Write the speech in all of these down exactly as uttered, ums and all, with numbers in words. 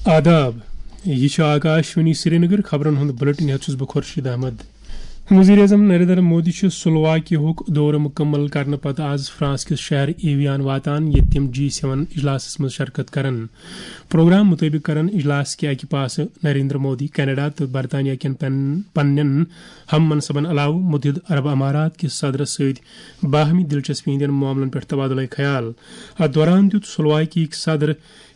آداب، یہِ چھُ آکاشوانی سرینگر۔ خبرن ہُنٛد بلیٹن ہٮ۪تھ چھُس بہٕ خورشید احمد۔ وزیر اعظم نریندر مودی چھُ سلوواکیاہُک دورٕ مُکمل کرنہٕ پتہٕ آز فرانس کِس شہر ایویان واتان، ییٚتہِ تِم جی سیون اجلاسس منٛز شرکت کرن۔ پروگرام مُطٲبِق کرن اجلاس کہِ اکہِ پاسہٕ نریندر مودی کینیڈا تہٕ برطانیہ کٮ۪ن پن-، پننٮ۪ن ہم منصبن علاوٕ متحدٕ عرب امارات کِس صدرس سۭتۍ باہمی دلچسپی ہٕنٛدٮ۪ن معاملن پٮ۪ٹھ تبادلہ خیال۔ اتھ دوران دیُت سلوواکیہٕکۍ صدر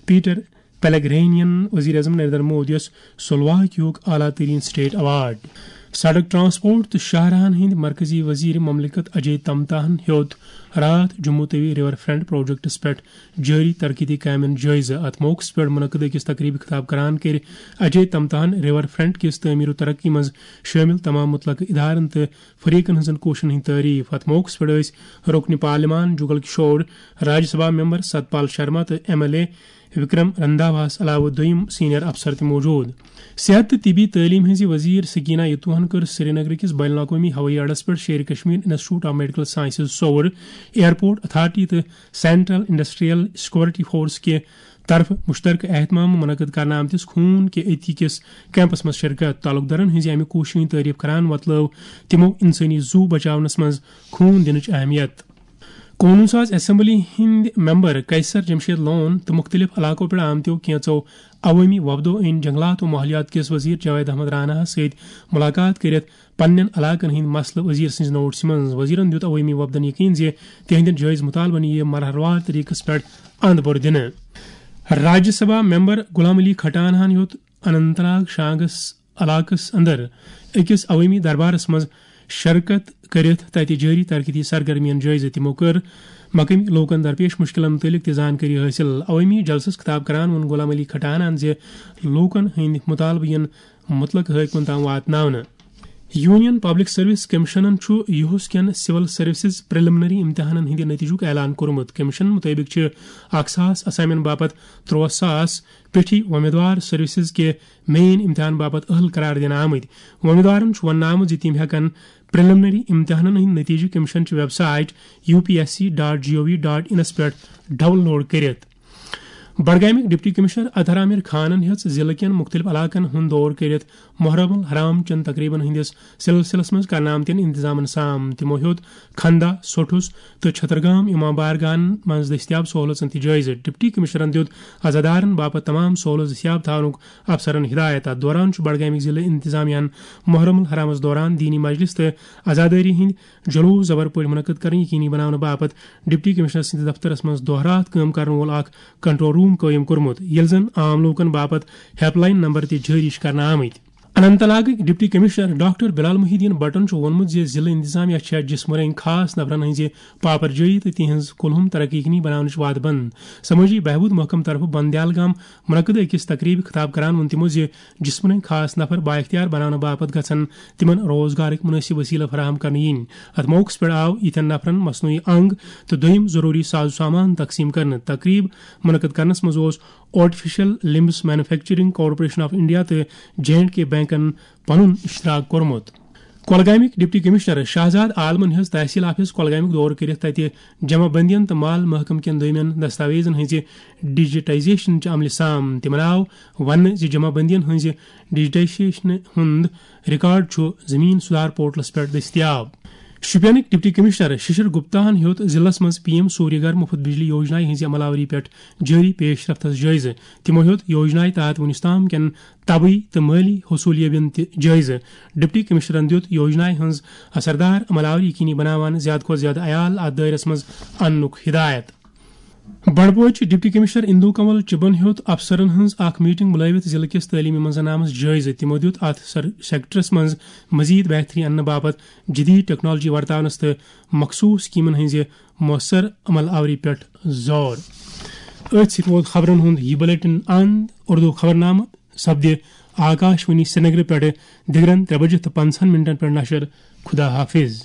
پیٹر پیلگرینین وزیر اعظم نریندر مودیس سلوواکیہُک اعلیٰ ترین سٹیٹ ایوارڈ۔ سڑک ٹرانسپورٹ تہٕ شاہراہن ہٕنٛدۍ مرکزی وزیر مملکت اجے تمتاہن ہیوٚت راتھ Jammu Tawi river front projects پٮ۪ٹھ جٲری ترقیتی کامٮ۪ن جٲیزٕ۔ اتھ موقعس پٮ۪ٹھ منعقد أکِس تقریبہِ خطاب کران کٔرۍ اجے تمتاہن ریور فرنٹ کِس تعمیر و ترقی منٛز شٲمِل تمام متعلقہٕ ادارن تہٕ فریقن ہٕنٛزن کوٗششن ہٕنٛدۍ تعریف۔ اتھ موقعس پٮ۪ٹھ ٲسۍ رکن پارلیمان جگل کشور، راجیہ سبھا ممبر ستپال شرما تہٕ ایم ایل اے وکرم رندھاواہس علاوٕ دوٚیِم سینئر افسر تہِ موجود۔ صحت تہٕ طبی تعلیٖم ہٕنٛزِ وزیر سکینہ یتوہن کٔر سرینگرٕ کِس بین الاقوٲمی ہوٲیی اڈس پٮ۪ٹھ Sher-e Kashmir institute of medical sciences Soura, airport authority تہٕ سینٹرل انڈسٹریل سیکورٹی فورس کہِ طرفہٕ مشترکہ اہتمام منعقد کرنہٕ آمتِس خوٗن کہِ عطیہ کِس کیمپس منٛز شرکت۔ تعلقدارن ہٕنٛزِ امہِ کوٗششہِ ہٕنٛز تعریف کران وۄتلٲو تِمو انسٲنی زُو بچاونس منٛز خوٗن دِنٕچ اہمیت۔ قونوٗن ساز اسمبلی ہٕنٛدۍ ممبر قیصر جمشید لون تہٕ مُختٔلِف علاقو پٮ۪ٹھ آمتیو کینٛژو عوٲمی وفدو أنۍ جنگلات و ماحولیات کِس وزیر جاوید احمد راناہس سۭتۍ مُلاقات کٔرِتھ پننٮ۪ن علاقن ہٕنٛدۍ مسلہٕ وزیر سٕنٛزِ نوٹسہِ منٛز۔ وزیرن دیُت عوٲمی وفدن یقین زِ تِہنٛدٮ۪ن جٲیز مُطالبن یِیہِ مرحلہٕ وار طریقس پٮ۪ٹھ اند بوٚر دِنہٕ۔ راجیہ سبھا ممبر غلام علی کھٹانہن ہیوٚت اننت ناگ شانگس علاقس اندر أکِس عوٲمی دربارس منٛز شرکت کٔرِتھ تَتہِ جٲری ترقیتی سرگرمیَن جٲیزٕ۔ تِمو کٔر مقٲمی لوٗکَن درپیش مُشکِلَن مُتعلِق تہِ زانکٲری حٲصِل۔ عوٲمی جلسَس خطاب کران ووٚن غلام علی کھٹانَن زِ لوٗکَن ہٕنٛدۍ مُطالبہٕ یِن مُتلقہٕ حٲکمَن تام واتناونہٕ۔ یونین پبلک سروس کمیشنَن چھُ یُہُس کٮ۪ن سول سروسز پریلیمنری امتحانَن ہٕنٛدِ نتیجُک اعلان کوٚرمُت۔ کمیشن مُطٲبِق چھِ اکھ ساس اسامین باپتھ تُرٛواہ ساس پیٹھی وۄمیدوار سروسز کہِ مین امتحان باپتھ اہل قرار دِنہٕ آمٕتۍ۔ وۄمیدوارن چھُ وننہٕ آمُت زِ تِم ہٮ۪کن پریلیمنری امتحانن ہٕنٛدۍ نتیجہٕ کمیشن چہِ website U P S C dot G O V dot انس پٮ۪ٹھ ڈاؤن لوڈ کٔرِتھ۔ بڈگامٕکۍ ڈپٹی کمشنر اطہر عامر خانن ہیٚژ ضلعہٕ کٮ۪ن مُختٔلِف علاقن ہُنٛد دورٕ کٔرِتھ محرم الحرام چٮ۪ن تقریبن ہٕنٛدِس سلسلس منٛز کرنہٕ آمتٮ۪ن انتظامن سام۔ تِمو ہیوٚت کھندا، سوٹھُس تہٕ چھترگام امام بارگاہن منٛز دٔستیاب سہوٗلژن تہِ جٲیزٕ۔ ڈپٹی کمشنرن دیُت عزادارن باپتھ تمام سہوٗلژ دٔستیاب تھاونُک افسرن ہدایت۔ اتھ دوران چھُ بڈگامٕکۍ ضلعہٕ انتظامیہ ہن محرم الحرامس دوران دینی مجلس تہٕ عزادٲری ہٕنٛدۍ جلوس زبر پٲٹھۍ منعقد کرٕنۍ یقینی بناونہٕ باپتھ ڈپٹی کمشنر سٕنٛدِس دفترس منٛز دۄہ راتھ کٲم کرن وول اکھ کنٹرول روم قٲیِم کوٚرمُت، ییٚلہِ زن عام لوٗکن باپتھ ہیلپ لاین نمبر تہِ جٲری چھِ کرنہٕ آمٕتۍ۔ اننت ناگٕکۍ ڈپٹی کمشنر ڈاکٹر بلال محی الدین بٹن چھُ ووٚنمُت زِ ضلعہٕ انتظامیہ چھےٚ جسمٲنی خاص نفرن ہٕنٛزِ پاپرجٲیی تہٕ تِہنٛز کُلہُم ترقی یقینی بناونٕچ وعدٕ بنٛد۔ سمٲجی بہبود محکمہٕ طرفہٕ بندیال گام منعقد أکِس تقریبہِ خطاب کران ووٚن تِمو زِ جسمٲنی خاص نفر بااختیار بناونہٕ باپتھ گژھن تِمن روزگارٕکۍ مُنٲسِب وسیلہٕ فراہم کرنہٕ یِنۍ۔ اتھ موقعس پٮ۪ٹھ آو یِتھٮ۪ن نفرن مصنوعی انگ تہٕ دوٚیِم ضروٗری ساز و سامان تقسیٖم کرنہٕ۔ تقریب منعقد کرنس منٛز اوس artificial limbs manufacturing corporation of India تہٕ جے اینڈ کے بینکن پنُن اشتراک کوٚرمُت۔ کۄلگامٕکۍ ڈپٹی کمشنر شہزاد عالمن ہیٚژ تحصیل آفس کۄلگامیُک دورٕ کٔرِتھ تَتہِ جمع بندین تہٕ مال محکمہٕ کٮ۪ن دوٚیمٮ۪ن دستاویزن ہٕنٛزِ ڈیجیٹائزیشن چہِ عملہِ سام۔ تِمن آو وننہٕ زِ جمع بندین ہٕنٛزِ ڈیجیٹائزیشنہِ ہُنٛد ریکارڈ چھُ زمین سدھار پورٹلس پٮ۪ٹھ دٔستیاب۔ شوپینٕکۍ ڈپٹی کمشنر ششر گپتاہن ہیوٚت ضلعس منٛز پی ایم سوریہ گھر مفت بجلی یوجنا ہٕنٛزِ عمل آوری پٮ۪ٹھ جٲری پیش رفتس جٲیزٕ۔ تِمو ہیوٚت یوجنایہِ تحت وُنیُس تام کٮ۪ن طبی تہٕ مٲلی حصوٗلیابین تہِ جٲیزٕ۔ ڈپٹی کمشنرن دِیُت یوجنایہِ ہٕنٛز اثردار عمل آوری یقینی بناوان زیادٕ کھۄتہٕ زیادٕ عیال اتھ دٲیرس منٛز اننُک ہدایت۔ بنڈپورچہِ ڈپٹی کمشنر اندو کنول چبن ہیوٚت افسرن ہٕنٛز اکھ میٹنگ بُلٲوِتھ ضلعہٕ کِس تعلیمی منظرنامس جٲیزٕ۔ تِمو دِیُت اتھ سر-، سیکٹرس منٛز مزید بہتری اننہٕ باپتھ جدید ٹیکنالوجی ورتاونس تہٕ مخصوص سکیمن ہٕنٛزِ مؤثر عمل آوری پٮ۪ٹھ زور۔ أتھۍ سۭتۍ ووت خبرن ہُنٛد یہِ بلیٹن اند۔ اردو خبرنامہٕ سپدِ آکاشوانی سرینگرٕ پٮ۪ٹھٕ دِگرن ترٛےٚ بجہِ تہٕ پنٛژاہن منٹن پٮ۪ٹھ نشر۔ خدا حافظ۔